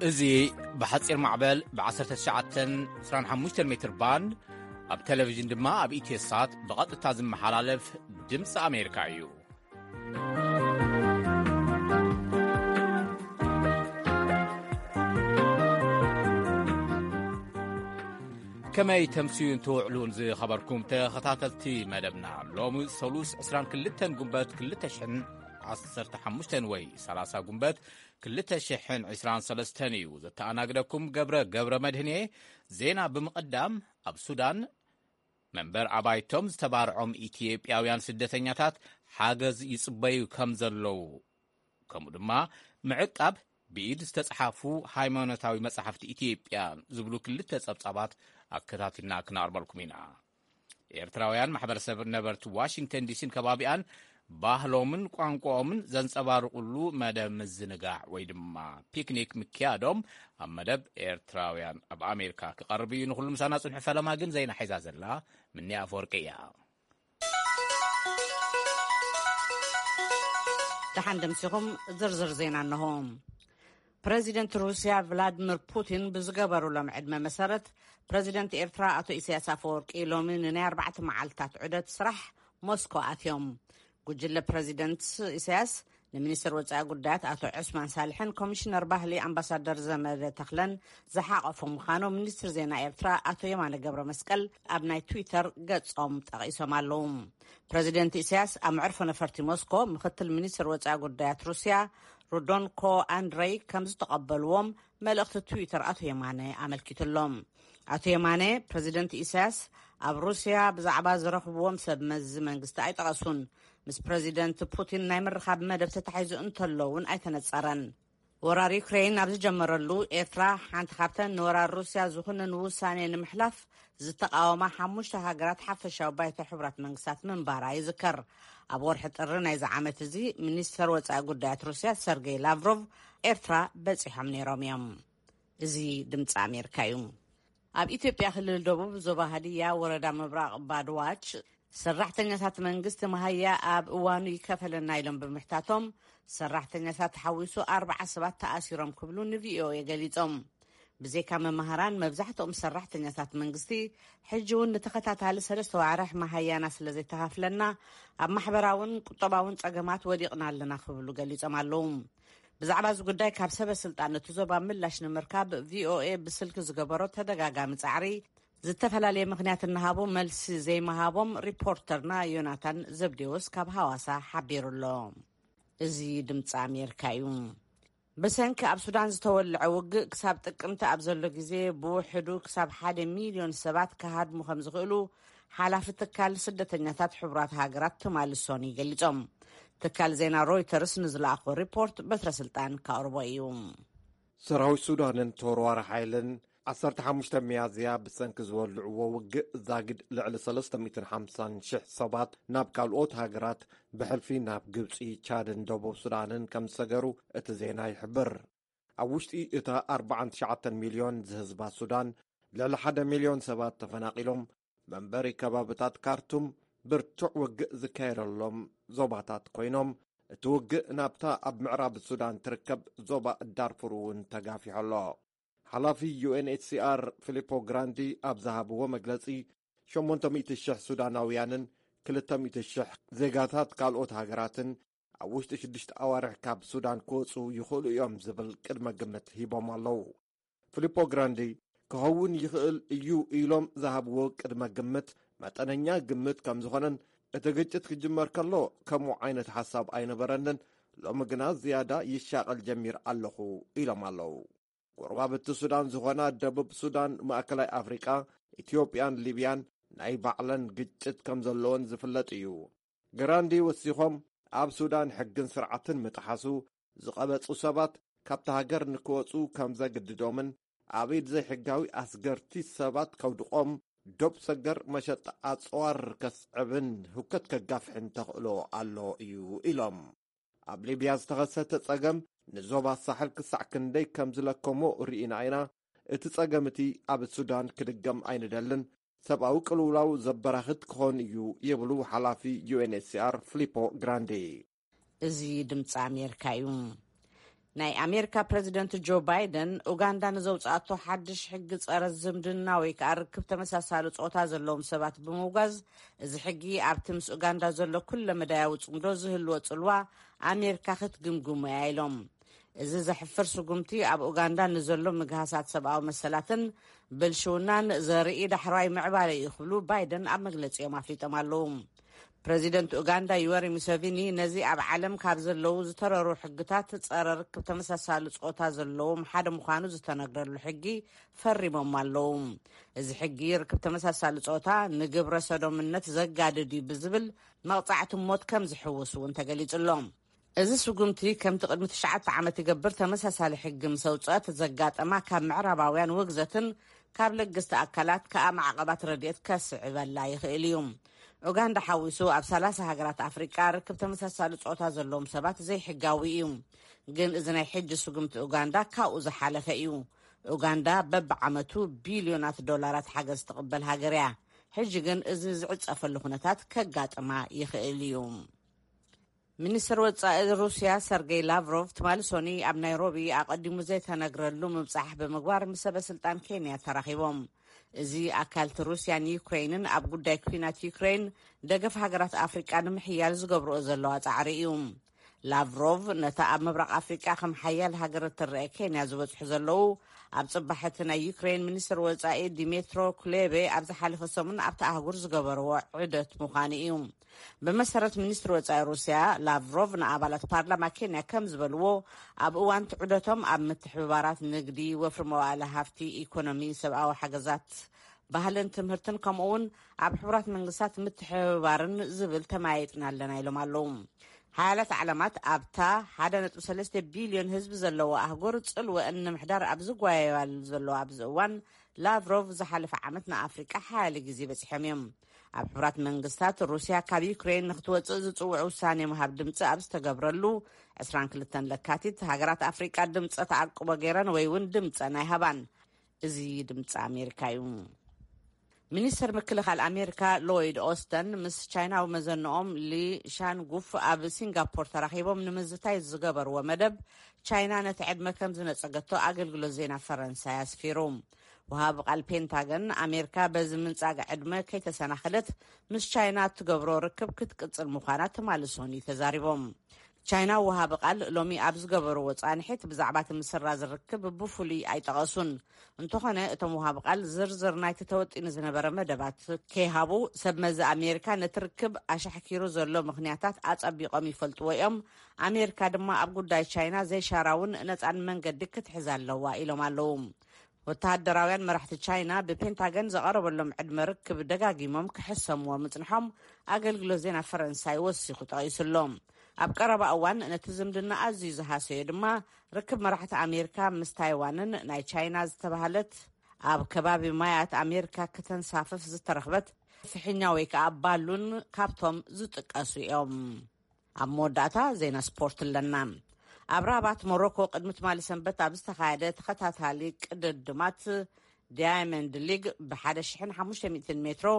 እዚ ብሓጺር ማዕበል ብ19 25 ሜትር ባንድ፣ ኣብ ቴሌቪዥን ድማ ኣብ ኢትዮሳት ብቐጥታ ዝመሓላለፍ ድምፂ ኣሜሪካ እዩ። ከመይ ተምስዩን ትውዕሉን ዝኸበርኩም ተኸታተልቲ መደብና፣ ሎሚ ሰሉስ 22 ጉንበት 2015 ወይ 30 ጉንበት 2023 እዩ። ዘተኣናግደኩም ገብረ ገብረ መድህን እየ። ዜና ብምቕዳም፣ ኣብ ሱዳን መንበር ኣባይቶም ዝተባርዖም ኢትዮጵያውያን ስደተኛታት ሓገዝ ይጽበዩ ከም ዘለዉ፣ ከምኡ ድማ ምዕቃብ ብኢድ ዝተጽሓፉ ሃይማኖታዊ መጻሕፍቲ ኢትዮጵያ ዝብሉ ክልተ ጸብጻባት ኣከታቲልና ክነቕርበልኩም ኢና። ኤርትራውያን ማሕበረሰብ ነበርቲ ዋሽንግተን ዲሲን ከባቢኣን ባህሎምን ቋንቋኦምን ዘንጸባርቑሉ መደብ ምዝንጋዕ ወይ ድማ ፒክኒክ ምክያዶም ኣብ መደብ ኤርትራውያን ኣብ ኣሜሪካ ክቐርብ እዩ። ንኹሉ ምሳና ጽንሑ። ፈለማ ግን ዜና ሒዛ ዘላ ምንያ ኣፈወርቂ እያ። ደሓን ደምሲኹም። ዝርዝር ዜና እነሆ። ፕረዚደንት ሩስያ ቭላድሚር ፑቲን ብዝገበሩሎም ዕድመ መሰረት፣ ፕረዚደንት ኤርትራ ኣቶ ኢሳያስ ኣፈወርቂ ሎሚ ንናይ ኣርባዕተ መዓልታት ዑደት ስራሕ ሞስኮ ኣትዮም። ጉጅለ ፕረዚደንት ኢሳያስ ንሚኒስትር ወጻኢ ጉዳያት ኣቶ ዑስማን ሳልሕን ኮሚሽነር ባህሊ ኣምባሳደር ዘመደ ተኽለን ዝሓቐፉ ምዃኑ ሚኒስትር ዜና ኤርትራ ኣቶ የማነ ገብረ መስቀል ኣብ ናይ ትዊተር ገጾም ጠቒሶም ኣለዉ። ፕረዚደንት ኢሳያስ ኣብ መዕርፎ ነፈርቲ ሞስኮ ምኽትል ሚኒስትር ወጻኢ ጉዳያት ሩስያ ሩዶንኮ ኣንድረይ ከም ዝተቐበልዎም መልእኽቲ ትዊተር ኣቶ የማነ ኣመልኪቱ ኣሎ። ኣቶ የማነ፣ ፕረዚደንት ኢሳያስ ኣብ ሩስያ ብዛዕባ ዝረኽብዎም ሰብ መዚ መንግስቲ ኣይጠቐሱን። ምስ ፕረዚደንት ፑቲን ናይ ምርኻብ መደብ ተታሒዙ እንተሎ እውን ኣይተነጸረን። ወራር ዩክሬን ኣብ ዝጀመረሉ፣ ኤርትራ ሓንቲ ካብተን ንወራር ሩስያ ዝኹንን ውሳኔ ንምሕላፍ ዝተቃወማ ሓሙሽተ ሃገራት ሓፈሻዊ ባይቶ ሕቡራት መንግስታት ምንባራ ይዝከር። ኣብ ወርሒ ጥሪ ናይዚ ዓመት እዚ፣ ሚኒስተር ወጻኢ ጉዳያት ሩስያ ሰርጌይ ላቭሮቭ ኤርትራ በጺሖም ነይሮም እዮም። እዚ ድምፂ ኣሜሪካ እዩ። ኣብ ኢትዮጵያ ክልል ደቡብ ዞባ ሃዲያ ወረዳ ምብራቕ ባድዋች ሰራሕተኛታት መንግስቲ መሃያ ኣብ እዋኑ ይከፈለና ኢሎም ብምሕታቶም፣ ሰራሕተኛታት ተሓዊሱ ኣርባዓ ሰባት ተኣሲሮም ክብሉ ንቪኦኤ ገሊጾም። ብዘይካ መማህራን፣ መብዛሕትኦም ሰራሕተኛታት መንግስቲ ሕጂ እውን ንተኸታታሊ ሰለስተ ዋዕራሕ መሃያና ስለ ዘይተኻፍለና፣ ኣብ ማሕበራውን ቁጠባውን ጸገማት ወዲቕና ኣለና ክብሉ ገሊጾም ኣለዉ። ብዛዕባ እዚ ጉዳይ ካብ ሰበ ስልጣን እቲ ዞባ ምላሽ ንምርካብ ቪኦኤ ብስልኪ ዝገበሮ ተደጋጋሚ ጻዕሪ፣ ዝተፈላለየ ምኽንያት እናሃቡ መልሲ ዘይምሃቦም ሪፖርተርና ዮናታን ዘብዴዎስ ካብ ሃዋሳ ሓቢሩ ኣሎ። እዚ ድምፂ ኣሜሪካ እዩ። ብሰንኪ ኣብ ሱዳን ዝተወልዐ ውግእ ክሳብ ጥቅምቲ ኣብ ዘሎ ግዜ ብውሕዱ ክሳብ ሓደ ሚልዮን ሰባት ክሃድሙ ከም ዝኽእሉ ሓላፊ ትካል ስደተኛታት ሕቡራት ሃገራት ትማሊ ሰኑይ ገሊጾም። ትካል ዜና ሮይተርስ ንዝለኣኾ ሪፖርት በትረ ስልጣን ከቕርቦ እዩ። ሰራዊት ሱዳንን ተወርዋሪ ሓይልን 15 ሚያዝያ ብሰንኪ ዝወልዕዎ ውግእ ዛጊድ ልዕሊ 350,000 ሰባት ናብ ካልኦት ሃገራት ብሕልፊ ናብ ግብጺ፣ ቻድን ደቡብ ሱዳንን ከም ዝሰገሩ እቲ ዜና ይሕብር። ኣብ ውሽጢ እታ 49 ሚልዮን ዝህዝባ ሱዳን፣ ልዕሊ ሓደ ሚልዮን ሰባት ተፈናቒሎም፣ መንበሪ ከባብታት ካርቱም ብርቱዕ ውግእ ዝካየደሎም ዞባታት ኮይኖም፣ እቲ ውግእ ናብታ ኣብ ምዕራብ ሱዳን ትርከብ ዞባ ዳርፉር እውን ተጋፊሑ ኣሎ። ሓላፊ ዩ ኤን ኤች ሲ ኣር ፊሊፖ ግራንዲ ኣብ ዝሃብዎ መግለጺ፣ ሸሞንተ ሚእቲ ሽሕ ሱዳናውያንን ክልተ ሚእቲ ሽሕ ዜጋታት ካልኦት ሃገራትን ኣብ ውሽጢ ሽዱሽተ ኣዋርሕ ካብ ሱዳን ክወጹ ይኽእሉ እዮም ዝብል ቅድመ ግምት ሂቦም ኣለዉ። ፊሊፖ ግራንዲ፣ ክኸውን ይኽእል እዩ ኢሎም ዝሃብዎ ቅድመ ግምት መጠነኛ ግምት ከም ዝኾነን፣ እቲ ግጭት ክጅመር ከሎ ከምኡ ዓይነት ሓሳብ ኣይነበረንን፣ ሎሚ ግና ዝያዳ ይሻቐል ጀሚር ኣለኹ ኢሎም ኣለዉ። ጎረባብቲ ሱዳን ዝኾና ደቡብ ሱዳን፣ ማእከላይ ኣፍሪቃ፣ ኢትዮጵያን ሊብያን ናይ ባዕለን ግጭት ከም ዘለወን ዝፍለጥ እዩ። ግራንዲ ወሲኾም፣ ኣብ ሱዳን ሕግን ስርዓትን ምጥሓሱ ዝቐበጹ ሰባት ካብቲ ሃገር ንክወጹ ከም ዘግድዶምን ኣብ ኢድ ዘይሕጋዊ ኣስገርቲ ሰባት ከውድቖም፣ ዶብ ሰገር መሸጣ ኣጽዋር ከስዕብን ህውከት ከጋፍሕን ተኽእሎ ኣሎ እዩ ኢሎም። ኣብ ሊብያ ዝተኸሰተ ጸገም ንዞባ ሳሕል ክሳዕ ክንደይ ከም ዝለከሞ ርኢና ኢና። እቲ ጸገም እቲ ኣብ ሱዳን ክድገም ኣይንደልን። ሰብኣዊ ቅልውላው ዘበራኽት ክኾን እዩ ይብሉ ሓላፊ ዩ ኤን ኤች ሲ ኣር ፊሊፖ ግራንዴ። እዚ ድምፂ ኣሜሪካ እዩ። ናይ ኣሜሪካ ፕረዚደንት ጆ ባይደን፣ ኡጋንዳ ንዘውፅኣቶ ሓድሽ ሕጊ ጸረ ዝምድና ወይ ከዓ ርክብ ተመሳሳሊ ጾታ ዘለዎም ሰባት ብምውጋዝ፣ እዚ ሕጊ ኣብቲ ምስ ኡጋንዳ ዘሎ ኩለ መዳያዊ ጽምዶ ዝህልዎ ጽልዋ ኣሜሪካ ክትግምግሞ እያ ኢሎም። እዚ ዘሕፍር ስጉምቲ ኣብ ኡጋንዳ ንዘሎ ምግሃሳት ሰብኣዊ መሰላትን ብልሽውናን ዘርኢ ዳሕራይ ምዕባለ እዩ ክብሉ ባይደን ኣብ መግለጺኦም ኣፍሊጦም ኣለዉ። ፕረዚደንት ኡጋንዳ ዩወሪ ሙሰቪኒ ነዚ ኣብ ዓለም ካብ ዘለዉ ዝተረሩ ሕግታት ጸረ ርክብ ተመሳሳሊ ጾታ ዘለዎም ሓደ ምዃኑ ዝተነግረሉ ሕጊ ፈሪሞም ኣለዉ። እዚ ሕጊ ርክብ ተመሳሳሊ ጾታ ንግብረ ሰዶምነት ዘጋድድ እዩ ብዝብል መቕጻዕቲ ሞት ከም ዝሕውስ እውን ተገሊጹ ኣሎ። እዚ ስጉምቲ ከምቲ ቅድሚ ትሽዓተ ዓመት ይገብር ተመሳሳሊ ሕጊ ምስ ኣውጽአት ዘጋጠማ ካብ ምዕራባውያን ውግዘትን ካብ ለገስቲ ኣካላት ከኣ ማዕቐባት ረድኤት ከስዕበላ ይኽእል እዩ። ኡጋንዳ ሓዊሱ ኣብ ሰላሳ ሃገራት ኣፍሪቃ ርክብ ተመሳሳሊ ጾታ ዘለዎም ሰባት ዘይሕጋዊ እዩ። ግን እዚ ናይ ሕጂ ስጉምቲ ኡጋንዳ ካብኡ ዝሓለፈ እዩ። ኡጋንዳ በብዓመቱ ቢልዮናት ዶላራት ሓገዝ ትቕበል ሃገር እያ። ሕጂ ግን እዚ ዝዕጸፈሉ ኩነታት ከጋጥማ ይኽእል እዩ። ሚኒስትር ወጻኢ ሩስያ ሰርጌይ ላቭሮቭ ትማሊ ሶኒ ኣብ ናይሮቢ ኣቐዲሙ ዘይተነግረሉ ምብጻሕ ብምግባር ምስ ሰበ ስልጣን ኬንያ ተራኺቦም። እዚ ኣካልቲ ሩስያን ዩክሬንን ኣብ ጉዳይ ኩናት ዩክሬን ደገፍ ሃገራት ኣፍሪቃ ንምሕያል ዝገብርኦ ዘለዋ ጻዕሪ እዩ። ላቭሮቭ ነታ ኣብ ምብራቕ ኣፍሪቃ ከም ሓያል ሃገር እትረአ ኬንያ ዝበጽሑ ዘለዉ ኣብ ጽባሕ እቲ ናይ ዩክሬን ሚኒስትር ወጻኢ ዲሜትሮ ኩሌቤ ኣብ ዝሓለፈ ሰሙን ኣብቲ ኣህጉር ዝገበርዎ ዑደት ምዃኑ እዩ። ብመሰረት ሚኒስትሪ ወጻኢ ሩስያ ላቭሮቭ ንኣባላት ፓርላማ ኬንያ ከም ዝበልዎ፣ ኣብ እዋን ዑደቶም ኣብ ምትሕብባራት ንግዲ፣ ወፍሪ መዋእለ ሃፍቲ፣ ኢኮኖሚ፣ ሰብኣዊ ሓገዛት፣ ባህልን ትምህርትን ከምኡ እውን ኣብ ሕቡራት መንግስታት ምትሕብባርን ዝብል ተመያይጥና ኣለና ኢሎም ኣለዉ። ሓያላት ዓለማት ኣብታ ሓደ ነጥቢ ሰለስተ ቢልዮን ህዝቢ ዘለዋ ኣህጉር ጽልወአን ንምሕዳር ኣብ ዝጓየያሉ ዘለዋ ኣብዚ እዋን፣ ላቭሮቭ ዝሓለፈ ዓመት ንኣፍሪቃ ሓያለ ግዜ በጺሖም እዮም። ኣብ ሕቡራት መንግስታት ሩስያ ካብ ዩክሬን ንክትወጽእ ዝጽውዕ ውሳኔ ምሃብ ድምፂ ኣብ ዝተገብረሉ ዕስራን ክልተን ለካቲት፣ ሃገራት ኣፍሪቃ ድምፀ ተዓቅቦ ገይረን ወይ እውን ድምፀን ኣይሃባን። እዚ ድምፂ ኣሜሪካ እዩ። ሚኒስትር ምክልኻል ኣሜሪካ ሎይድ ኦስተን ምስ ቻይናዊ መዘንኦም ሊ ሻንጉፍ ኣብ ሲንጋፖር ተራኺቦም ንምዝታይ ዝገበርዎ መደብ፣ ቻይና ነቲ ዕድመ ከም ዝነጸገቶ ኣገልግሎት ዜና ፈረንሳይ ኣስፊሩ። ወሃቢ ቃል ፔንታገን፣ ኣሜሪካ በዚ ምንጻግ ዕድመ ከይተሰናኸለት ምስ ቻይና እትገብሮ ርክብ ክትቅጽል ምዃና ትማሊ ሶኒ ተዛሪቦም። ቻይና ወሃቢ ቃል ሎሚ ኣብ ዝገበርዎ ጻንሒት ብዛዕባ እቲ ምስራዝ ርክብ ብፍሉይ ኣይጠቐሱን። እንተኾነ እቶም ወሃቢ ቃል ዝርዝር ናይቲ ተወጢኑ ዝነበረ መደባት ከይሃቡ፣ ሰብ መዚ ኣሜሪካ ነቲ ርክብ ኣሻሕኪሩ ዘሎ ምኽንያታት ኣጸቢቖም ይፈልጥዎ እዮም። ኣሜሪካ ድማ ኣብ ጉዳይ ቻይና ዘይሻራውን ነጻን መንገዲ ክትሕዝ ኣለዋ ኢሎም ኣለዉ። ወተሃደራውያን መራሕቲ ቻይና ብፔንታገን ዝቐረበሎም ዕድመ ርክብ ደጋጊሞም ክሕሰምዎ ምጽንሖም ኣገልግሎት ዜና ፈረንሳይ ወሲኹ ጠቒሱ ኣሎ። ኣብ ቀረባ እዋን ነቲ ዝምድና ኣዝዩ ዝሃሰዮ ድማ ርክብ መራሕቲ ኣሜሪካ ምስ ታይዋንን ናይ ቻይና ዝተባህለት ኣብ ከባቢ ማያት ኣሜሪካ ከተንሳፍፍ ዝተረኽበት ፍሕኛ ወይ ከዓ ባሉን ካብቶም ዝጥቀሱ እዮም። ኣብ መወዳእታ ዜና ስፖርት ኣለና። ኣብ ራባት ሞሮኮ ቅድሚ ትማሊ ሰንበት ኣብ ዝተኻየደ ተኸታታሊ ቅድድማት ዳያመንድ ሊግ ብሓደ ሽሕን ሓሙሽተ ሚእትን ሜትሮ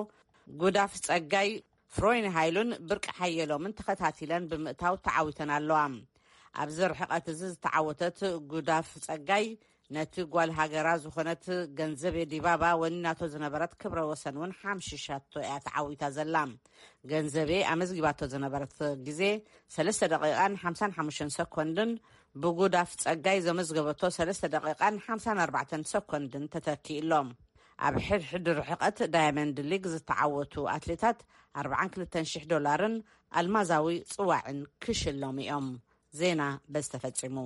ጉዳፍ ጸጋይ ፍሮይን ሃይሉን ብርቂ ሓየሎምን ተኸታቲለን ብምእታው ተዓዊተን ኣለዋ። ኣብዚ ርሕቐት እዚ ዝተዓወተት ጉዳፍ ጸጋይ ነቲ ጓል ሃገራ ዝኾነት ገንዘቤ ዲባባ ወኒናቶ ዝነበረት ክብረ ወሰን እውን ሓምሺሻቶ እያ ተዓዊታ ዘላ። ገንዘቤ ኣመዝጊባቶ ዝነበረት ግዜ ሰለስተ ደቂቓን ሓምሳን ሓሙሽተን ሰኮንድን፣ ብጉዳፍ ጸጋይ ዘመዝገበቶ ሰለስተ ደቂቓን ሓምሳን ኣርባዕተን ሰኮንድን ተተኪኡ ኣሎ። ኣብ ሕድሕድ ርሕቐት ዳያመንድ ሊግ ዝተዓወቱ ኣትሌታት ኣርባዓን ክልተን ሽሕ ዶላርን ኣልማዛዊ ጽዋዕን ክሽለሙ እዮም። ዜና በዚ ተፈጺሙ።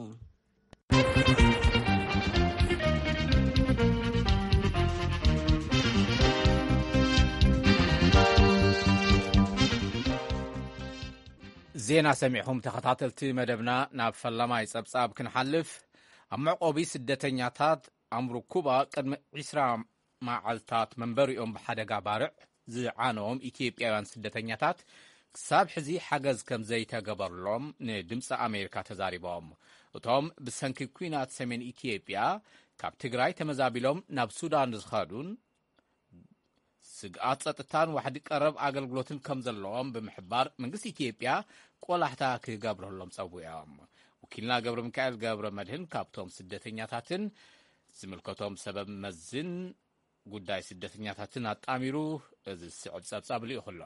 ዜና ሰሚዕኹም ተኸታተልቲ መደብና፣ ናብ ፈላማይ ጸብጻብ ክንሓልፍ፣ ኣብ መዕቆቢ ስደተኛታት ኣምሩኩባ ቅድሚ ዒስራ መዓልታት መንበሪኦም ብሓደጋ ባርዕ ዝዓነዎም ኢትዮጵያውያን ስደተኛታት ክሳብ ሕዚ ሓገዝ ከም ዘይተገበርሎም ንድምፂ ኣሜሪካ ተዛሪቦም። እቶም ብሰንኪ ኲናት ሰሜን ኢትዮጵያ ካብ ትግራይ ተመዛቢሎም ናብ ሱዳን ዝኸዱን ስግኣት ጸጥታን ዋሕዲ ቀረብ ኣገልግሎትን ከም ዘለዎም ብምሕባር፣ መንግስቲ ኢትዮጵያ ቆላሕታ ክገብረሎም ጸዊዖም። ወኪልና ገብረ ሚካኤል ገብረ መድህን ካብቶም ስደተኛታትን ዝምልከቶም ሰበብ መዝን ጉዳይ ስደተኛታትን ኣጣሚሩ እዚ ዝስዕብ ጸብጻብ ልኢኹ ኣሎ።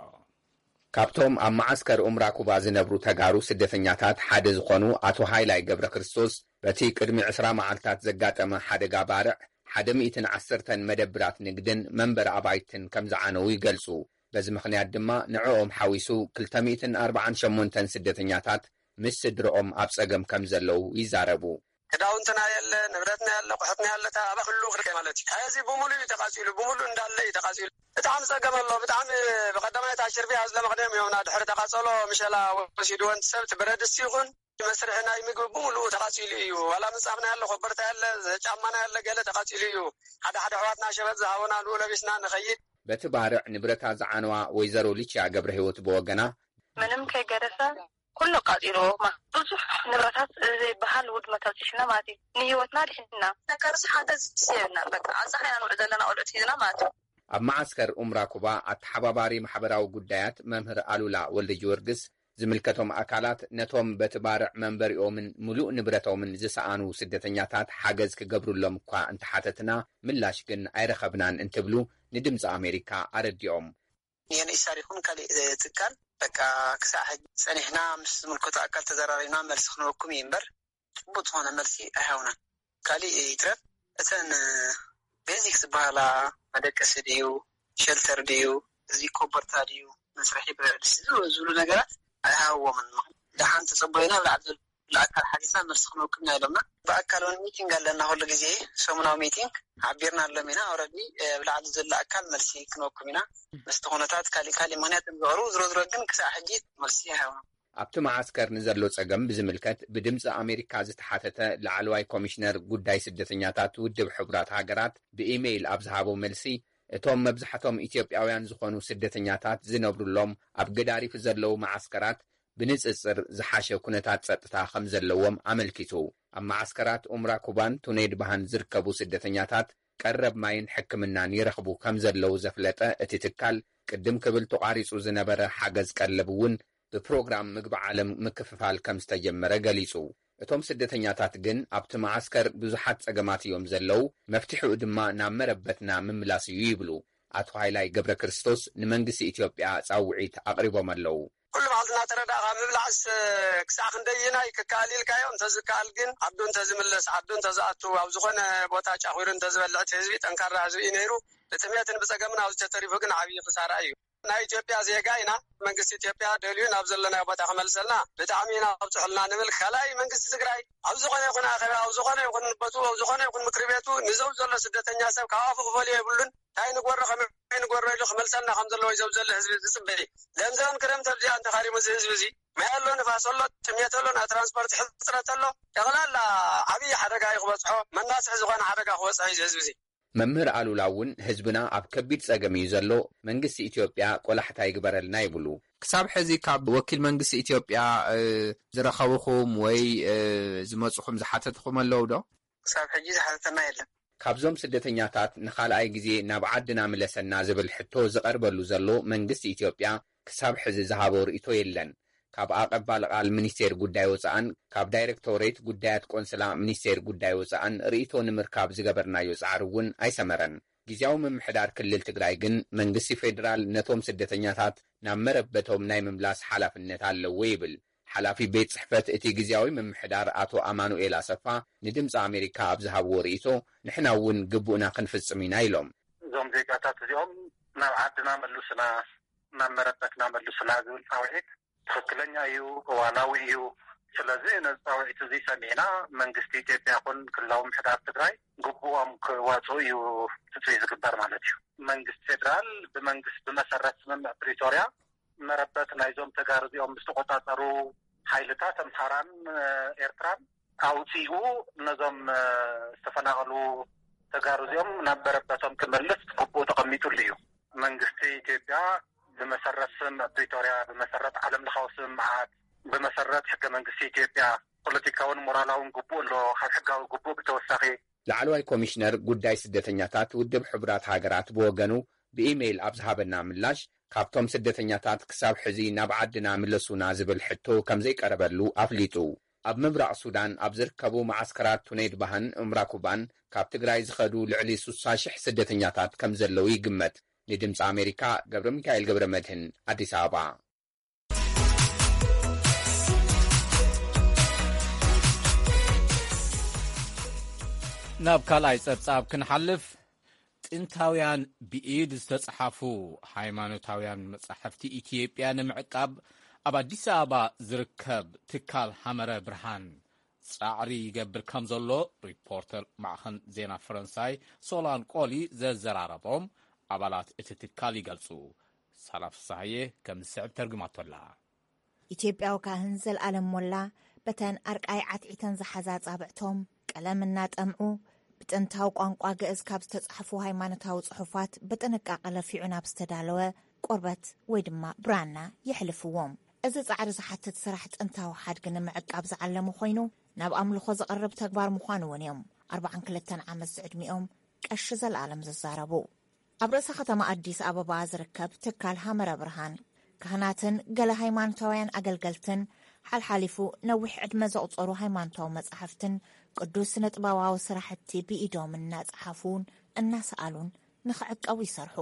ካብቶም ኣብ መዓስከር ኡምራ ኩባ ዝነብሩ ተጋሩ ስደተኛታት ሓደ ዝኾኑ ኣቶ ሃይላይ ገብረ ክርስቶስ፣ በቲ ቅድሚ ዕስራ መዓልታት ዘጋጠመ ሓደጋ ባርዕ ሓደ ሚእትን ዓሰርተን መደብራት ንግድን መንበሪ ኣባይትን ከም ዝዓነዉ ይገልጹ። በዚ ምኽንያት ድማ ንዕኦም ሓዊሱ ክልተ ሚእትን ኣርባዓን ሸሞንተን ስደተኛታት ምስ ስድርኦም ኣብ ጸገም ከም ዘለዉ ይዛረቡ። ክዳውንትና የለ፣ ንብረትና የለ፣ ቁሕትና የለ፣ እታ ኣባ ኩሉ ክርቀ ማለት እዩ። እዚ ብምሉእ እዩ ተቃጺሉ፣ ብምሉእ እንዳለ እዩ ተቃጺሉ። ብጣዕሚ ጸገም ኣሎ። ብጣዕሚ ብቀዳማይ እታ ሽርቢ ኣብ ዝለመኽንዮም እዮም። ድሕሪ ተቃጸሎ ምሸላ ወሲድወን ሰብ፣ እቲ ብረድስቲ ይኹን መስርሒ ናይ ምግቢ ብምሉኡ ተቃጺሉ እዩ። ዋላ ምንጻፍና ያለ፣ ኮበርታ ያለ፣ ጫማና ያለ፣ ገለ ተቃጺሉ እዩ። ሓደ ሓደ ኣሕዋትና ሸበጥ ዝሃቡና ንኡ ለቢስና ንኸይድ። በቲ ባርዕ ንብረታ ዝዓነዋ ወይዘሮ ሊችያ ገብረ ህይወት ብወገና፣ ምንም ከይገደፈ ኩሉ ኣቃጺልዎ። ማ-፣ ብዙሕ ንብረታት ዘይበሃል ውድመት ኣብጺሕና ማለት እዩ። ንህይወትና ድሒንና። ነጋርስ ሓገዝ የብልናን። በቃ፣ ኣብዛ ኢና ንውዕል ዘለና ቆልዑት ሒዝና ማለት እዩ። ኣብ መዓስከር ኡምራ ኩባ ኣተሓባባሪ ማሕበራዊ ጉዳያት መምህር ኣሉላ ወልደ ጊዮርጊስ፣ ዝምልከቶም ኣካላት ነቶም በቲ ባርዕ መንበሪኦምን ምሉእ ንብረቶምን ዝሰኣኑ ስደተኛታት ሓገዝ ክገብሩሎም እኳ እንተሓተትና፣ ምላሽ ግን ኣይረኸብናን እንትብሉ ንድምፂ ኣሜሪካ ኣረዲኦም። ዩኤንኤችሲኣር ይኹን ካሊእ ትካል፣ በቃ፣ ክሳዕ ሕጂ ጸኒሕና ምስ ዝምልከቶ ኣካል ተዘራሪብና መልሲ ክንበኩም እዩ እምበር፣ ጽቡቅ ዝኾነ መልሲ ኣይሃቡናን። ካሊእ ይትረፍ፣ እተን ቤዚክ ዝበሃላ መደቀሲ ድዩ፣ ሸልተር ድዩ፣ እዚ ኮበርታ ድዩ፣ መስርሒ ብረድስቲ ዝብሉ፣ ዝብሉ ነገራት ኣይሃብዎምን። ደሓን ተጸበዩና፣ ኣብ ላዕሊ ዘሎ ኣካል ሓቲትና መልሲ ክንወክልና ኢሎምና። ብኣካል እውን ሚቲንግ ኣለና፣ ኩሉ ግዜ ሰሙናዊ ሚቲንግ ሓቢርና ኣሎም ኢና። ኦረዲ ኣብ ላዕሊ ዘሎ ኣካል መልሲ ክንወኩም ኢና። ምስቲ ኩነታት ካሊእ ካሊእ ምኽንያት እዮም ዘቕርቡ። ዝሮ ዝሮ ግን ክሳዕ ሕጂ መልሲ ኣይሃቡና። ኣብቲ መዓስከር ንዘሎ ጸገም ብዝምልከት ብድምፂ ኣሜሪካ ዝተሓተተ ላዕለዋይ ኮሚሽነር ጉዳይ ስደተኛታት ውድብ ሕቡራት ሃገራት ብኢሜይል ኣብ ዝሃቦ መልሲ፣ እቶም መብዛሕቶም ኢትዮጵያውያን ዝኾኑ ስደተኛታት ዝነብሩሎም ኣብ ገዳሪፍ ዘለዉ መዓስከራት ብንጽጽር ዝሓሸ ኩነታት ጸጥታ ከም ዘለዎም ኣመልኪቱ። ኣብ መዓስከራት ኡምራ ኩባን ቱኔድ ባሃን ዝርከቡ ስደተኛታት ቀረብ ማይን ሕክምናን ይረኽቡ ከም ዘለዉ ዘፍለጠ እቲ ትካል፣ ቅድም ክብል ተቋሪጹ ዝነበረ ሓገዝ ቀለብ እውን ብፕሮግራም ምግቢ ዓለም ምክፍፋል ከም ዝተጀመረ ገሊጹ። እቶም ስደተኛታት ግን ኣብቲ መዓስከር ብዙሓት ጸገማት እዮም ዘለዉ፣ መፍትሒኡ ድማ ናብ መረበትና ምምላስ እዩ ይብሉ ኣቶ ሃይላይ ገብረ ክርስቶስ ንመንግስቲ ኢትዮጵያ ጻውዒት ኣቕሪቦም ኣለዉ። ኩሉ መዓልቲ እናተረዳእኻ ምብላዕስ ክሳዕ ክንደይናይ ክከኣል ኢልካዮ? እንተዝከኣል ግን ዓዱ እንተዝምለስ፣ ዓዱ እንተዝኣቱ፣ ኣብ ዝኾነ ቦታ ጫኺሩ እንተዝበልዕ እቲ ህዝቢ ጠንካራ ህዝቢ እዩ ነይሩ። ብጥሜትን ብጸገምን ኣብዚ ተተሪፉ ግን ዓብዪ ክሳራ እዩ። ናይ ኢትዮጵያ ዜጋ ኢና። መንግስቲ ኢትዮጵያ ደልዩ ናብ ዘለናዮ ቦታ ክመልሰልና ብጣዕሚ ኢና ኣብፅሑልና ንብል። ካልኣይ መንግስቲ ትግራይ ኣብ ዝኾነ ይኹን ኣኼባ፣ ኣብ ዝኾነ ይኹን ቦትኡ፣ ኣብ ዝኾነ ይኹን ምክሪ ቤቱ ንዘው ዘሎ ስደተኛ ሰብ ካብ ኣፉ ክፈልዮ የብሉን። እንታይ ንግበሮ፣ ከመይ ንግበሮ ኢሉ ክመልሰልና ከም ዘለዎ እዩ ዘው ዘሎ ህዝቢ ዝፅበይ። ገንዘብን ክረምቲ ኣብዚኣ እንተኻሪሙ እዚ ህዝቢ እዚ ማይ ኣሎ፣ ንፋስ ኣሎ፣ ጥሜት ኣሎ፣ ናይ ትራንስፖርት ሕፅረት ኣሎ። ጠቕላላ ዓብዪ ሓደጋ እዩ ክበፅሖ፣ መናስሒ ዝኾነ ሓደጋ ክበፅሖ እዩ እዚ ህዝቢ እዚ። መምህር ኣሉላ እውን ህዝብና ኣብ ከቢድ ጸገም እዩ ዘሎ፣ መንግስቲ ኢትዮጵያ ቆላሕታ ይግበረልና ይብሉ። ክሳብ ሕዚ ካብ ወኪል መንግስቲ ኢትዮጵያ፣ እ፣ ዝረኸብኹም ወይ፣ እ፣ ዝመጽኹም ዝሓተትኹም ኣለዉ ዶ? ክሳብ ሕጂ ዝሓተተና የለን። ካብዞም ስደተኛታት ንኻልኣይ ግዜ ናብ ዓድና ምለሰና ዝብል ሕቶ ዝቐርበሉ ዘሎ መንግስቲ ኢትዮጵያ ክሳብ ሕዚ ዝሃቦ ርእይቶ የለን። ካብ ኣቐባሊ ቃል ሚኒስቴር ጉዳይ ወጻእን ካብ ዳይሬክቶሬት ጉዳያት ቆንስላ ሚኒስቴር ጉዳይ ወጻእን ርእይቶ ንምርካብ ዝገበርናዮ ጻዕሪ እውን ኣይሰመረን። ግዝያዊ ምምሕዳር ክልል ትግራይ ግን መንግስቲ ፌዴራል ነቶም ስደተኛታት ናብ መረበቶም ናይ ምምላስ ሓላፍነት ኣለዎ ይብል። ሓላፊ ቤት ጽሕፈት እቲ ግዝያዊ ምምሕዳር ኣቶ ኣማኑኤል ኣሰፋ ንድምፂ ኣሜሪካ ኣብ ዝሃብዎ ርእይቶ፣ ንሕና እውን ግቡእና ክንፍጽም ኢና ኢሎም። እዞም ዜጋታት እዚኦም ናብ ዓድና መልሱና፣ ናብ መረበትና መልሱና ዝብል ጻውዒት ትኽክለኛ እዩ፣ እዋናዊ እዩ። ስለዚ ነዚ ጻውዒት እዚ ሰሚዕና መንግስቲ ኢትዮጵያ ይኹን ክልላዊ ምምሕዳር ትግራይ ግቡኦም ክዋፅኡ እዩ ትፅቢት ዝግበር ማለት እዩ። መንግስቲ ፌዴራል ብመንግስቲ ብመሰረት ስምምዕ ፕሪቶርያ መረበት ናይዞም ተጋሩ እዚኦም ዝተቆጻጸሩ ሓይልታት ኣምሓራን፣ እ፣ ኤርትራን ኣውጺኡ ነዞም፣ እ፣ ዝተፈናቐሉ ተጋሩ እዚኦም ናብ መረበቶም ክመልስ ግቡእ ተቐሚጡሉ እዩ። መንግስቲ ኢትዮጵያ ብመሰረት ስምምዕ ፕሪቶርያ፣ ብመሰረት ዓለም ለኻዊ ስምምዓት፣ ብመሰረት ሕገ መንግስቲ ኢትዮጵያ ፖለቲካውን ሞራላውን ግቡእ ኣሎ። ካብ ሕጋዊ ግቡእ ብተወሳኺ ላዕለዋይ ኮሚሽነር ጉዳይ ስደተኛታት ውድብ ሕቡራት ሃገራት ብወገኑ ብኢሜይል ኣብ ዝሃበና ምላሽ፣ ካብቶም ስደተኛታት ክሳብ ሕዚ ናብ ዓድና ምለሱና ዝብል ሕቶ ከም ዘይቀረበሉ ኣፍሊጡ። ኣብ ምብራቕ ሱዳን ኣብ ዝርከቡ መዓስከራት ቱነይድ ባህን እምራኩባን ካብ ትግራይ ዝኸዱ ልዕሊ ስሳ ሽሕ ስደተኛታት ከም ዘለዉ ይግመት። ንድምፂ ኣሜሪካ ገብረ ሚካኤል ገብረ መድህን፣ ኣዲስ ኣበባ። ናብ ካልኣይ ጸብጻብ ክንሓልፍ፣ ጥንታውያን ብኢድ ዝተጻሓፉ ሃይማኖታውያን መጻሕፍቲ ኢትዮጵያ ንምዕቃብ ኣብ ኣዲስ ኣበባ ዝርከብ ትካል ሃመረ ብርሃን ጻዕሪ ይገብር ከም ዘሎ ሪፖርተር ማዕኸን ዜና ፈረንሳይ ሶላን ቆሊ ዘዘራረቦም ኣባላት እቲ ትካል ይገልጹ። ሳላ ፍስሃየ ከም ዝስዕብ ተርጉማቶ ኣላ። ኢትዮጵያዊ ካህን ዘልኣለም ሞላ በተን ኣርቃይ ዓትዒተን ዝሓዛ ኣጻብዕቶም ቀለም እናጠምዑ ብጥንታዊ ቋንቋ ግእዝ ካብ ዝተጻሕፉ ሃይማኖታዊ ጽሑፋት ብጥንቃቐ ለፊዑ ናብ ዝተዳለወ ቆርበት ወይ ድማ ብራና የሕልፍዎም። እዚ ጻዕሪ ዝሓትት ስራሕ ጥንታዊ ሓድጊ ንምዕቃብ ዝዓለመ ኮይኑ ናብ ኣምልኾ ዘቕርብ ተግባር ምዃኑ እውን እዮም ኣርባዓን ክልተን ዓመት ዝዕድሚኦም ቀሺ ዘልኣለም ዝዛረቡ። ኣብ ርእሰ ከተማ ኣዲስ ኣበባ ዝርከብ ትካል ሃመረ ብርሃን ካህናትን ገለ ሃይማኖታውያን ኣገልገልትን ሓልሓሊፉ ነዊሕ ዕድመ ዘቑጸሩ ሃይማኖታዊ መጻሕፍትን ቅዱስ ስነ ጥበባዊ ስራሕቲ ብኢዶም እናጸሓፉን እናሰኣሉን ንኽዕቀቡ ይሰርሑ።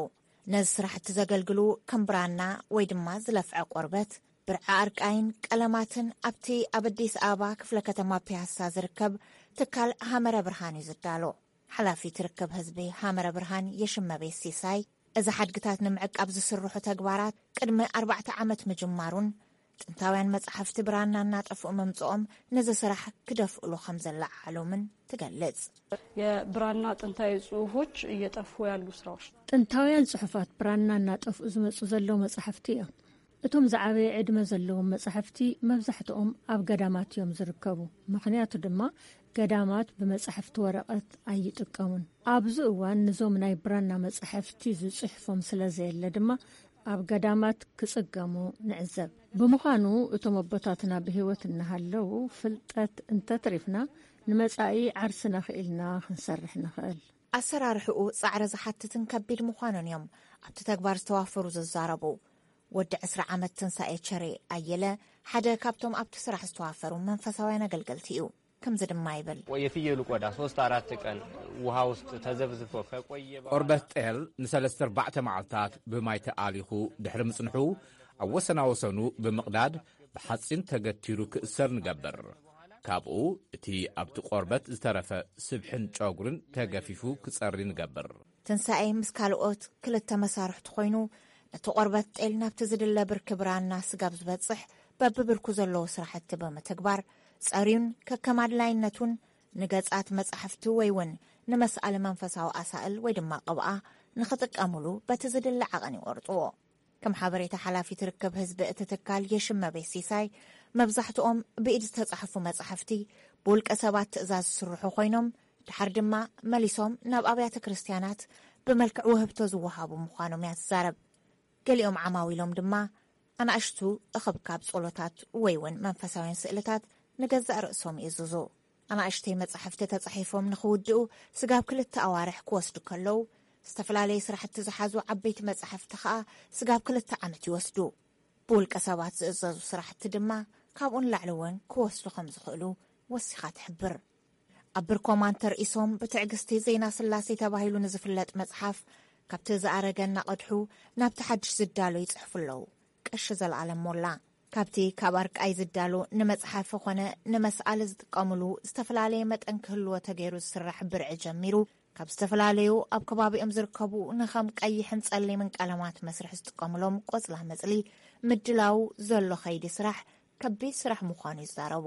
ነዚ ስራሕቲ ዘገልግሉ ከም ብራና ወይ ድማ ዝለፍዐ ቆርበት፣ ብርዒ ኣርቃይን ቀለማትን ኣብቲ ኣብ ኣዲስ ኣበባ ክፍለ ከተማ ፒያሳ ዝርከብ ትካል ሃመረ ብርሃን እዩ ዝዳሎ። ሓላፊ ትርክብ ህዝቢ ሃመረ ብርሃን የሽመቤት ሲሳይ፣ እዚ ሓድግታት ንምዕቃብ ዝስርሑ ተግባራት ቅድሚ ኣርባዕተ ዓመት ምጅማሩን ጥንታውያን መጻሕፍቲ ብራና እናጠፍኡ ምምጽኦም ነዚ ስራሕ ክደፍእሉ ከም ዘለዓዓሎምን ትገልጽ። የብራና ጥንታዊ ጽሑፎች እየጠፉ ያሉ ስራዎች። ጥንታውያን ጽሑፋት ብራና እናጠፍኡ ዝመጹ ዘለዉ መጻሕፍቲ እዮም። እቶም ዝዓበየ ዕድመ ዘለዎም መጻሕፍቲ መብዛሕትኦም ኣብ ገዳማት እዮም ዝርከቡ። ምኽንያቱ ድማ ገዳማት ብመጻሕፍቲ ወረቐት ኣይጥቀሙን። ኣብዚ እዋን ንዞም ናይ ብራና መጻሕፍቲ ዝጽሕፎም ስለ ዘየለ ድማ ኣብ ገዳማት ክጽገሙ ንዕዘብ። ብምዃኑ እቶም ኣቦታትና ብህይወት እናሃለዉ ፍልጠት እንተትሪፍና ንመጻኢ ዓርስና ክኢልና ክንሰርሕ ንኽእል። ኣሰራርሕኡ ጻዕሪ ዝሓትትን ከቢድ ምዃኑን እዮም ኣብቲ ተግባር ዝተዋፈሩ ዝዛረቡ። ወዲ ዕስራ ዓመት ትንሳኤ ቸሬ ኣየለ ሓደ ካብቶም ኣብቲ ስራሕ ዝተዋፈሩ መንፈሳውያን ኣገልገልቲ እዩ። ከምዚ ድማ ይብል። የፍየሉ ቆዳ ሶስት አራት ቀን ውሃ ውስጥ ተዘፍዝፎ ከቆየ በኋላ ቆርበት ጤል ንሰለስተ ኣርባዕተ መዓልታት ብማይ ተኣሊኹ ድሕሪ ምጽንሑ፣ ኣብ ወሰናወሰኑ ብምቕዳድ ብሓጺን ተገቲሩ ክእሰር ንገብር። ካብኡ እቲ ኣብቲ ቆርበት ዝተረፈ ስብሕን ጨጉርን ተገፊፉ ክጸሪ ንገብር። ትንሳኤ ምስ ካልኦት ክልተ መሳርሕቱ ኮይኑ፣ ነቲ ቆርበት ጤል ናብቲ ዝድለ ብርኪ ብራና ስጋብ ዝበጽሕ በብብርኩ ዘለዉ ስራሕቲ ብምትግባር፣ ጸርዩን ከከም ኣድላይነቱን ንገጻት መጻሕፍቲ ወይ እውን ንመስኣሊ መንፈሳዊ ኣሳእል ወይ ድማ ቅብኣ ንኽጥቀምሉ በቲ ዝድለ ዓቐን ይቖርጽዎ። ከም ሓበሬታ ሓላፊት ርክብ ህዝቢ እቲ ትካል የሽመቤት ሲሳይ፣ መብዛሕትኦም ብኢድ ዝተጻሕፉ መጻሕፍቲ ብውልቀ ሰባት ትእዛዝ ዝስርሑ ኮይኖም፣ ድሓር ድማ መሊሶም ናብ ኣብያተ ክርስትያናት ብመልክዕ ውህብቶ ዝወሃቡ ምዃኖም እያ ትዛረብ። ገሊኦም ዓማዊሎም ድማ ኣናእሽቱ እኽብካብ ጸሎታት ወይ እውን መንፈሳውያን ስእልታት ንገዛእ ርእሶም ይእዝዙ። ኣናእሽተይ መጻሕፍቲ ተጻሒፎም ንኽውድኡ ስጋብ ክልተ ኣዋርሕ ክወስዱ ከለዉ፣ ዝተፈላለዩ ስራሕቲ ዝሓዙ ዓበይቲ መጻሕፍቲ ኸኣ ስጋብ ክልተ ዓመት ይወስዱ። ብውልቀ ሰባት ዝእዘዙ ስራሕቲ ድማ ካብኡ ንላዕሊ እውን ክወስዱ ከም ዝኽእሉ ወሲኻ ትሕብር። ኣብ ብርኮማን ተርኢሶም ብትዕግስቲ ዜና ስላሴ ተባሂሉ ንዝፍለጥ መጽሓፍ ካብቲ ዝኣረገ እናቐድሑ ናብቲ ሓድሽ ዝዳሎ ይጽሕፉ ኣለዉ። ቀሺ ዘልኣለም ሞላ ካብቲ ካብ ኣርቃይ ዝዳሎ ንመጽሓፊ ኾነ ንመስኣሊ ዝጥቀምሉ ዝተፈላለየ መጠን ክህልዎ ተገይሩ ዝስራሕ ብርዒ ጀሚሩ ካብ ዝተፈላለዩ ኣብ ከባቢኦም ዝርከቡ ንኸም ቀይሕን ጸሊምን ቀለማት መስርሒ ዝጥቀምሎም ቆጽላ መጽሊ ምድላው ዘሎ ኸይዲ ስራሕ ከቢድ ስራሕ ምዃኑ ይዛረቡ።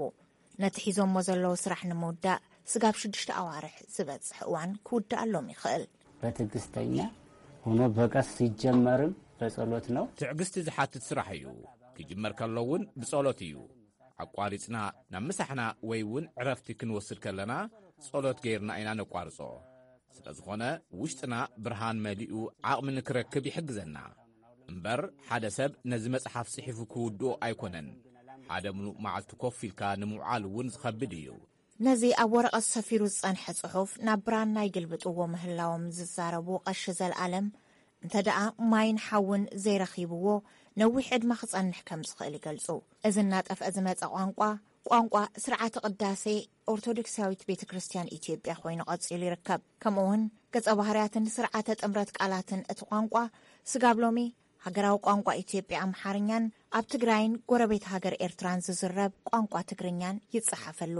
ነቲ ሒዞሞ ዘለዉ ስራሕ ንምውዳእ ስጋብ ሽዱሽተ ኣዋርሕ ዝበጽሕ እዋን ክውዳኣሎም ይኽእል። በትዕግስተኛ ሆኖ በቀስ ሲጀመርም በጸሎት ነው። ትዕግስቲ ዝሓትት ስራሕ እዩ። ክጅመር ከሎ እውን ብጸሎት እዩ። ኣቋሪጽና ናብ ምሳሕና ወይ እውን ዕረፍቲ ክንወስድ ከለና ጸሎት ገይርና ኢና ነቋርጾ። ስለ ዝኾነ ውሽጥና ብርሃን መሊኡ ዓቕሚ ንክረክብ ይሕግዘና። እምበር ሓደ ሰብ ነዚ መጽሓፍ ጽሒፉ ክውድኦ ኣይኮነን። ሓደ ምሉእ መዓልቲ ኮፍ ኢልካ ንምውዓል እውን ዝኸብድ እዩ። ነዚ ኣብ ወረቐት ሰፊሩ ዝጸንሐ ጽሑፍ ናብ ብራና ይግልብጥዎ ምህላዎም ዝዛረቡ ቀሺ ዘልኣለም፣ እንተ ደኣ ማይን ሓውን ዘይረኺብዎ ነዊሕ ዕድመ ክጸንሕ ከም ዝኽእል ይገልጹ። እዚ እናጠፍአ ዝመጸ ቋንቋ ቋንቋ ስርዓተ ቅዳሴ ኦርቶዶክሳዊት ቤተ ክርስቲያን ኢትዮጵያ ኮይኑ ቀጺሉ ይርከብ። ከምኡ እውን ገጸ ባህርያትን ስርዓተ ጥምረት ቃላትን እቲ ቋንቋ ስጋብ ሎሚ ሃገራዊ ቋንቋ ኢትዮጵያ ኣምሓርኛን ኣብ ትግራይን ጎረቤት ሃገር ኤርትራን ዝዝረብ ቋንቋ ትግርኛን ይጸሓፈሉ።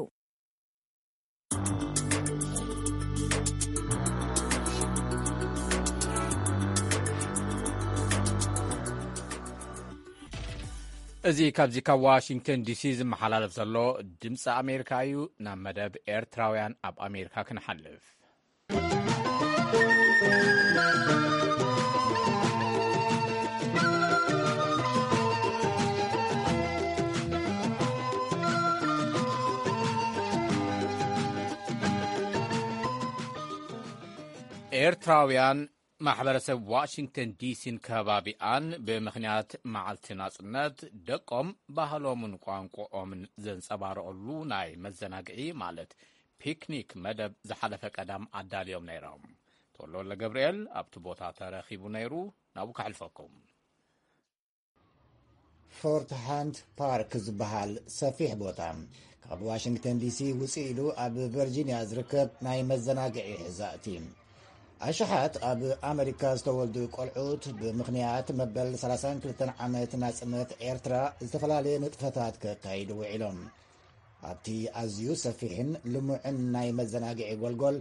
እዚ ካብዚ ካብ ዋሽንግተን ዲሲ ዝመሓላለፍ ዘሎ ድምፂ ኣሜሪካ እዩ። ናብ መደብ ኤርትራውያን ኣብ ኣሜሪካ ክንሓልፍ። ኤርትራውያን ማሕበረሰብ ዋሽንግተን ዲሲን ከባቢኣን ብምኽንያት መዓልቲ ናጽነት ደቆም ባህሎምን ቋንቋኦምን ዘንጸባርቐሉ ናይ መዘናግዒ ማለት ፒክኒክ መደብ ዝሓለፈ ቀዳም ኣዳልዮም ነይሮም። ተወልደ ወልደ ገብርኤል ኣብቲ ቦታ ተረኺቡ ነይሩ፣ ናብኡ ከሕልፈኩም። ፎርት ሃንት ፓርክ ዝበሃል ሰፊሕ ቦታ ካብ ዋሽንግተን ዲሲ ውፅእ ኢሉ ኣብ ቨርጂንያ ዝርከብ ናይ መዘናግዒ ሕዛእቲ። ኣሽሓት ኣብ ኣመሪካ ዝተወልዱ ቆልዑት ብምኽንያት መበል ሰላሳን ክልተን ዓመት ናጽነት ኤርትራ ዝተፈላለየ ንጥፈታት ከካይዱ ውዒሎም። ኣብቲ ኣዝዩ ሰፊሕን ልሙዕን ናይ መዘናግዒ ጎልጎል፣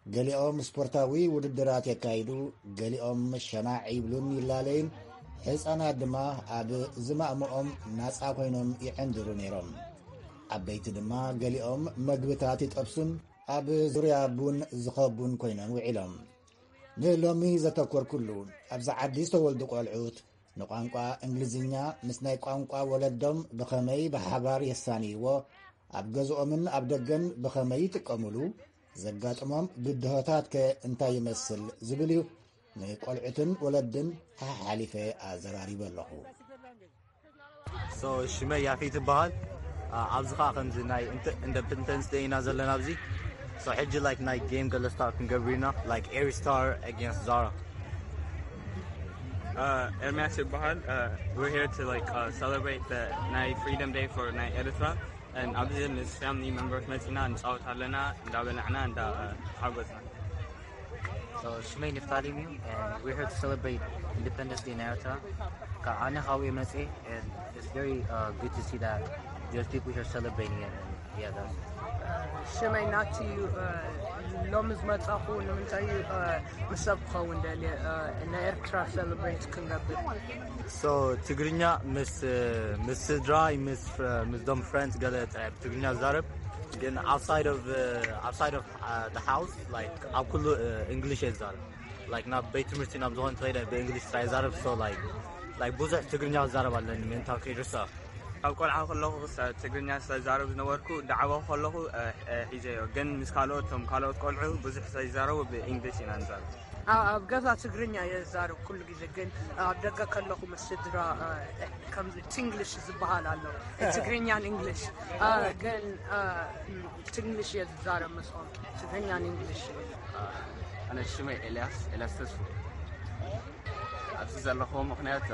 ገሊኦም ስፖርታዊ ውድድራት የካይዱ፣ ገሊኦም ሸናዕ ይብሉን ይላለዩን፣ ህጻናት ድማ ኣብ ዝማእምኦም ናጻ ኮይኖም ይዕንድሩ ነይሮም። ዓበይቲ ድማ ገሊኦም መግብታት ይጠብሱን ኣብ ዙርያ ቡን ዝኸቡን ኮይኖም ውዒሎም። ንሎሚ ዘተኮርኩሉ፣ ኣብዚ ዓዲ ዝተወልዱ ቆልዑት ንቋንቋ እንግሊዝኛ ምስ ናይ ቋንቋ ወለዶም ብኸመይ ብሓባር የሳንይዎ፣ ኣብ ገዝኦምን ኣብ ደገን ብኸመይ ይጥቀሙሉ፣ ዘጋጥሞም ብድሆታት ከ እንታይ ይመስል ዝብል እዩ። ንቆልዑትን ወለድን ሓሓሊፈ ኣዘራሪበ ኣለኹ። So ሽመይ ያፌት ይበሃል። ኣብዚ ከዓ ከምዚ ናይ ኢንደፐንደንስ ደይ ኢና ዘለና ኣብዚ። So ሕጂ like ናይ ጌም ገለ ስታርት ክንገብር ኢና like ኤሪ ስታር against ዛራ። Uh, Ermias ይበሃል. Uh, we're here to like uh, celebrate the ናይ freedom day for ናይ ኤርትራ and ኣብዚ ምስ family members መፂና ንፃወት ኣለና እንዳበላዕና እንዳ ተሓጎስና። So ሽመይ ንፍታሌም እዩ and we're here to celebrate Independence Day in ኤርትራ። ከ ኣነ ካብኡ መፅኤ and it's very uh, good to see that there's people here celebrating it. And yeah, that's ሽመይ ናቲ እዩ። ሎሚ ዝመፃኹ ንምንታይ እዩ? ምስ ሰብ ክኸውን ደልየ ናይ ኤርትራ ሰለብሬት ክንገብር። So ትግርኛ ምስ ምስ ስድራይ ምስ ምስዶም ፍሬንድስ ገለ ጥራይ ብትግርኛ ዝዛረብ፣ ግን outside of outside of the house like ኣብ ኩሉ እንግሊሽ እየ ዝዛረብ። Like ናብ ቤት ትምህርቲ ናብ ዝኾነ ተኸይደ ብእንግሊሽ ጥራይ ይዛረብ። So like like ብዙሕ ትግርኛ ክዛረብ ኣለኒ ምእንታን ከይርስዖ። ኣብ ቆልዓ ከለኹ ትግርኛ ዝተዛረብ ዝነበርኩ፣ ዳዕበኹ ከለኹ ሒዘዮ፣ ግን ምስ ካልኦት ቶም ካልኦት ቆልዑ ብዙሕ ዘይዛረቡ ብእንግሊሽ ኢና ንዛረብ። ኣብ ገዛ ትግርኛ እየ ዝዛረብ ኩሉ ግዜ፣ ግን ኣብ ደገ ከለኹ ምስ ስድራ ከምዚ ቲንግሊሽ ዝበሃል ኣሎ፣ ትግርኛን እንግሊሽ፣ ግን ትንሽ እየ ዝዛረብ ምስኦም ትግርኛን እንግሊሽ። ኣነ ሽመይ ኤልያስ ኤልያስ ተስፉ። ኣብዚ ዘለኹዎ ምኽንያት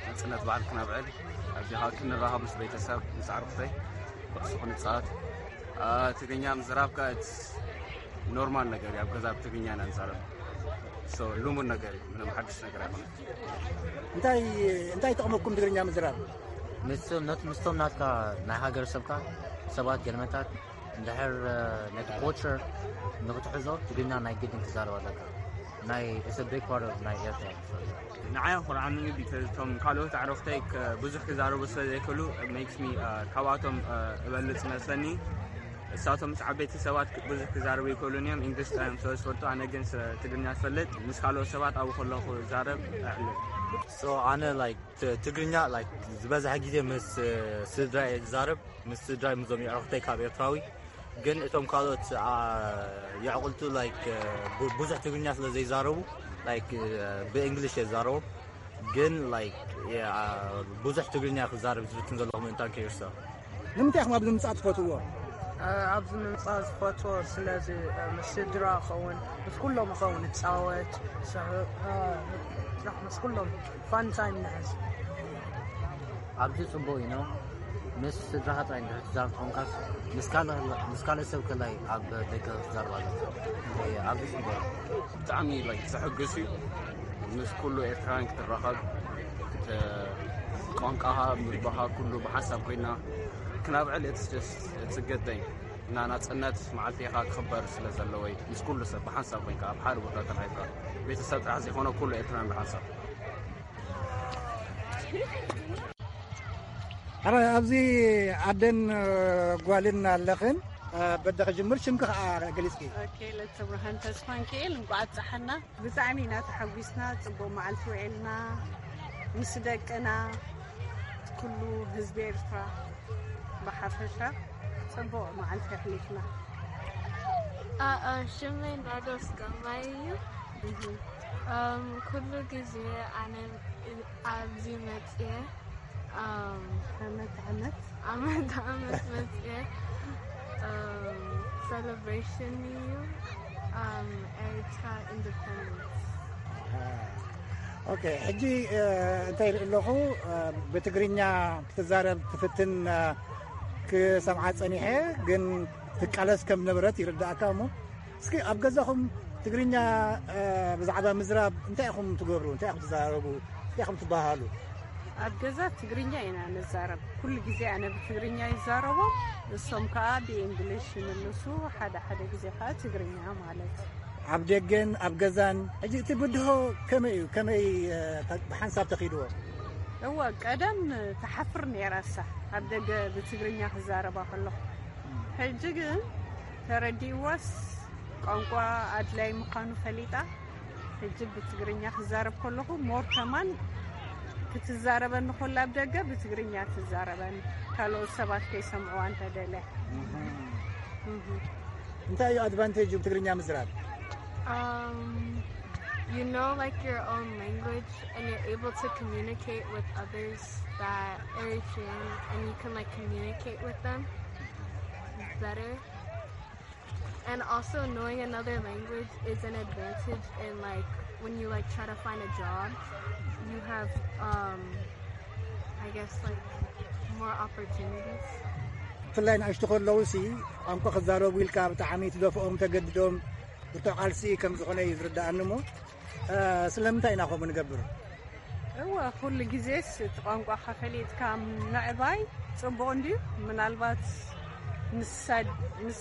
ናጽነት በዓል ክነብዕል፣ ኣብዚ ከዓ ክንራኸብ ምስ ቤተሰብ ምስ ኣዕሩኽተይ ኩዕሶ ክንጻወት። ትግርኛ ምዝራብ ከዓ ኖርማል ነገር እዩ። ኣብ ገዛ ብትግርኛ ኢና ንዛረብ። ልሙድ ነገር እዩ። ምንም ሓድሽ ነገር ኣይኮነን። እንታይ እንታይ ይጠቕመኩም ትግርኛ ምዝራብ? ምስቶም ናትካ ናይ ሃገር ሰብካ ሰባት ገልመታት እንድሕር ነቲ ኮልቸር ንክትሕዞ ትግርኛ ናይ ግድን ክዛረብ ኣለካ። ናይ it's a big part of ናይ ኤርትራ። ንዓይ ኣኹርዓኒ እዩ because እቶም ካልኦት ኣዕሩኽተይ ብዙሕ ክዛረቡ ስለ ዘይክእሉ makes me ካብኣቶም እበልፅ መስለኒ። እሳቶም ምስ ዓበይቲ ሰባት ብዙሕ ክዛረቡ ይክእሉን እዮም፣ እንግሊሽ ጥራይ እዮም ስለ ዝፈልጡ። ኣነ ግን ትግርኛ ዝፈልጥ ምስ ካልኦት ሰባት ኣብኡ ከለኹ ዛረብ ኣዕልል። So ኣነ like ትግርኛ like ዝበዝሐ ግዜ ምስ ስድራ እየ ዝዛረብ። ምስ ስድራይ ምስዞም የዕሩኽተይ ካብ ኤርትራዊ ግን እቶም ካልኦት የዕቁልቱ like ብዙሕ ትግርኛ ስለ ዘይዛረቡ like ብእንግሊሽ እየ ዝዛረቦም። ግን like ብዙሕ ትግርኛ ክዛረብ ዝፍትን ዘለኹ ምእንታን ከይርሰ። ንምንታይ ኢኹም ኣብዚ ምምፃእ ትፈትዎ? ኣብዚ ምምፃእ ዝፈትዎ ስለዚ ምስ ስድራ ኸውን ምስ ኩሎም ኸውን እፃወት ምስ ኩሎም ፋን ታይም ንሕዝ። ኣብዚ ፅቡቅ እዩ ነው። ምስ ስድራኻ ጥራይ እንድሕር ትዛረብ ተኾንካስ፣ ምስ ካልእ፣ ምስ ካልእ ሰብ ከላይ ኣብ ደገ ክትዛረብ ኣለካ። ወይ ኣብዚ ጽቡቕ። ብጣዕሚ፣ like፣ ዘሐግስ እዩ። ምስ ኩሉ ኤርትራውያን ክትራኸብ፣ ክተ-፣ ቋንቋኻ፣ ምግብኻ፣ ኩሉ ብሓንሳብ ኮይና ክነብዕል፣ it's just፣ it's a good thing። እና ናጽነት መዓልቲ ኢኻ ክኽበር ስለ ዘለዎ እዩ። ምስ ኩሉ ሰብ ብሓንሳብ ኮይንካ ኣብ ሓደ ቦታ ተራኺብካ፣ ቤተሰብ ጥራሕ ዘይኮነ ኩሉ ኤርትራውያን ብሓንሳብ። ኣረ፣ ኣብዚ ኣደን፣ እ፣ ጓልን ኣለኽን። እ፣ በደ ክጅምር ሽምኪ ኸዓ ገሊጽኪ። ኦኬ፣ ለተብርሃን ተስፋንኪኤል፣ እንቋዕ ኣብጽሓና። ብጣዕሚ ኢና ተሓጒስና፣ ጽቡቕ መዓልቲ ውዒልና፣ ምስ ደቅና፣ ኩሉ ህዝቢ ኤርትራ ብሓፈሻ ጽቡቕ መዓልቲ ኣሕሊፍና። ኣኣ፣ ሽመይ ናርዶስ ግርማይ እዩ። እም፣ ኩሉ ግዜ ኣነ ኣብዚ መጽየ፣ ኣም፣ ዓመት ዓመት። ዓመት ዓመት መጽየ፣ ኣም፣ ሰለብሬሽን እዩ፣ ኣም፣ ኤርትራ ኢንዲፐንደንስ። ኦኬ፣ ሕጂ፣ እ፣ እንታይ ይርኢ ኣለኹ፣ እ፣ ብትግርኛ ክትዛረብ ትፍትን፣ እ፣ ክሰምዓ ጸኒሐ፣ ግን ትቃለስ ከም ነበረት ይርዳእካ እሞ፣ እስኪ ኣብ ገዛኹም ትግርኛ፣ እ፣ ብዛዕባ ምዝራብ እንታይ ኢኹም ትገብሩ? እንታይ ኢኹም ትዛረቡ? እንታይ ኢኹም ትበሃሉ? ኣብ ገዛ ትግርኛ ኢና ንዛረብ። ኩሉ ግዜ ኣነ ብትግርኛ ይዛረቦም፣ እሶም ከኣ ብእንግሊሽ ይምልሱ፣ ሓደ ሓደ ግዜ ከኣ ትግርኛ ማለት። ኣብ ደገን ኣብ ገዛን፣ ሕጂ እቲ ብድሆ ከመይ እዩ? ከመይ፣ እ፣ ተ-፣ ብሓንሳብ ተኺድዎ? እወ፣ ቀደም ትሓፍር ነይራ እሳ፣ ኣብ ደገ ብትግርኛ ክዛረባ ከለኹ። ሕጂ ግን ተረዲእዋስ ቋንቋ ኣድላይ ምዃኑ ፈሊጣ፣ ሕጂ ብትግርኛ ክዛረብ ከለኹ ሞር ከማን ክትዛረበኒ ከላ ኣብ ደገ ብትግርኛ ትዛረበኒ፣ ካልኦት ሰባት ከይሰምዕዋ እንተደልያ። እህ። እንታይ እዩ ኣድቫንቴጅ ትግርኛ ምዝራብ? Um, you know, like, your own language, and you're able to communicate with others that are Eritrean, and you can, like, communicate with them better. And also, knowing another language is an advantage in, like, when you, like, try to find a job, you have, um, I guess, like, more opportunities. ብፍላይ ንኣሽቱ ከለዉ ሲ ቋንቋ ክዛረቡ ኢልካ ብጣዕሚ ትደፍኦም፣ ተገድዶም፣ ብርቱዕ ቃልሲ ከም ዝኾነ እዩ ዝርዳኣኒ። እሞ፣ እ፣ ስለምንታይ ኢና ከምኡ ንገብር? እወ፣ ኩሉ ግዜስ እቲ ቋንቋ ከፈሊጥካ ምዕባይ ጽቡቕ እንድዩ። ምናልባት ምስ ሳድ-፣ ምስ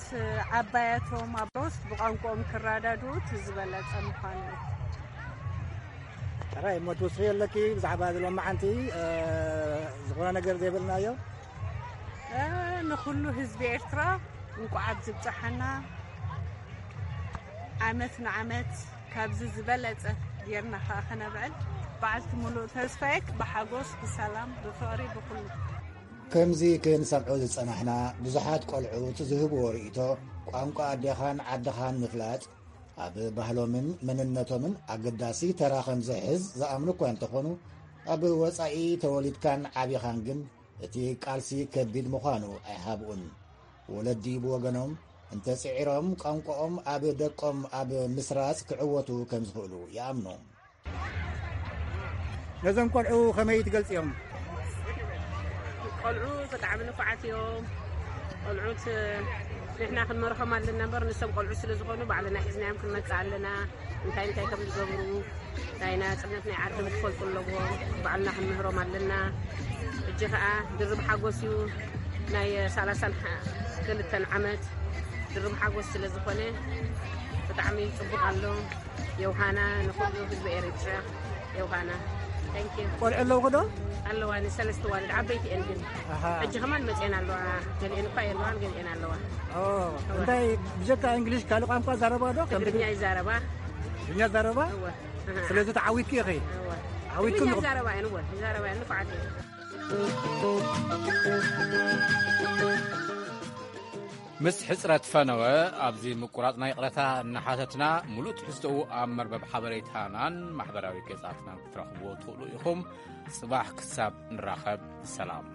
ዓባያቶም ኣቦስ ብቋንቋኦም ክረዳድኡ እቲ ዝበለጸ ምዃኑ እዩ። ሕራይ እሞ ትውስኺ ኣለኪ ብዛዕባ እዚ ሎማዓንቲ፣ እ፣ ዝኾነ ነገር ዘይበልናዮ? እ፣ ንኹሉ ህዝቢ ኤርትራ እንቋዕ ኣብዚ ብጽሓና። ዓመት ንዓመት ካብዚ ዝበለጸ ጌርና ከኣ ከነብዕል በዓልቲ ሙሉእ ተስፋየክ ብሓጎስ፣ ብሰላም፣ ብፍቕሪ፣ ብኹሉ። ከምዚ ክንሰምዖ ዝጸናሕና፣ ብዙሓት ቆልዑት ዝህብዎ ርእይቶ፣ ቋንቋ ኣዴኻን ዓድኻን ምፍላጥ፣ ኣብ ባህሎምን መንነቶምን ኣገዳሲ ተራ ከም ዝሕዝ ዝኣምኑ እኳ እንተኾኑ፣ ኣብ ወጻኢ ተወሊድካን ዓቢኻን ግን እቲ ቃልሲ ከቢድ ምዃኑ ኣይሃብኡን። ወለዲ ብወገኖም እንተጽዒሮም፣ ቋንቋኦም ኣብ ደቆም ኣብ ምስራጽ ክዕወቱ ከም ዝኽእሉ ይኣምኑ። ነዞም ቆልዑ ከመይ ትገልጽዮም? ቆልዑ ብጣዕሚ ንፉዓት እዮም። ቆልዑት ንሕና ክንመርሖም ኣለና እምበር፣ ንሶም ቆልዑ ስለ ዝኾኑ ባዕልና ሒዝናዮም ክንመጽእ ኣለና። እንታይ እንታይ ከም ዝገብሩ፣ ናይ ናጽነት ናይ ዓዶም ክፈልጡ ኣለዎም። ባዕልና ክንምህሮም ኣለና። ሕጂ ኸኣ ድርብ ሓጎስ እዩ። ናይ ሰላሳን ክልተን ዓመት ድርብ ሓጎስ ስለ ዝኾነ ብጣዕሚ ጽቡቕ ኣሎ። ዮሃና ንኹሉ ህዝቢ ኤሪትራ ዮሃና። Thank you። ቆልዑ ኣለውኹ ዶ? ኣለዋ፣ ንሰለስተ ዋልድ ዓበይቲ እየን ግን። ኣሃ። ሕጂ ከማን መጽኤን ኣለዋ። ገሊኤን እኳ የለዋን፣ ገሊኤን ኣለዋ። ኦ፣ እንታይ ብጀካ እንግሊሽ ካልእ ቋንቋ ዛረባ ዶ? ከም ትግርኛ ይዛረባ። ትግርኛ ዛረባ? እወ። ኣሃ። ስለዚ ተዓዊትኪ ኢኺ? እወ። ዓዊትኩም ትግርኛ ኢኹም? ይዛረባ እየን፣ እወ፣ ይዛረባ እየን፣ ንፉዓት እየን። ምስ ሕጽረት ፈነወ ኣብዚ ምቁራጽ ናይ ይቕረታ እናሓተትና፣ ሙሉእ ትሕዝቶኡ ኣብ መርበብ ሓበሬታናን ማሕበራዊ ገጻትናን ክትረኽብዎ ትኽእሉ ኢኹም። ጽባሕ ክሳብ ንራኸብ፣ ሰላም።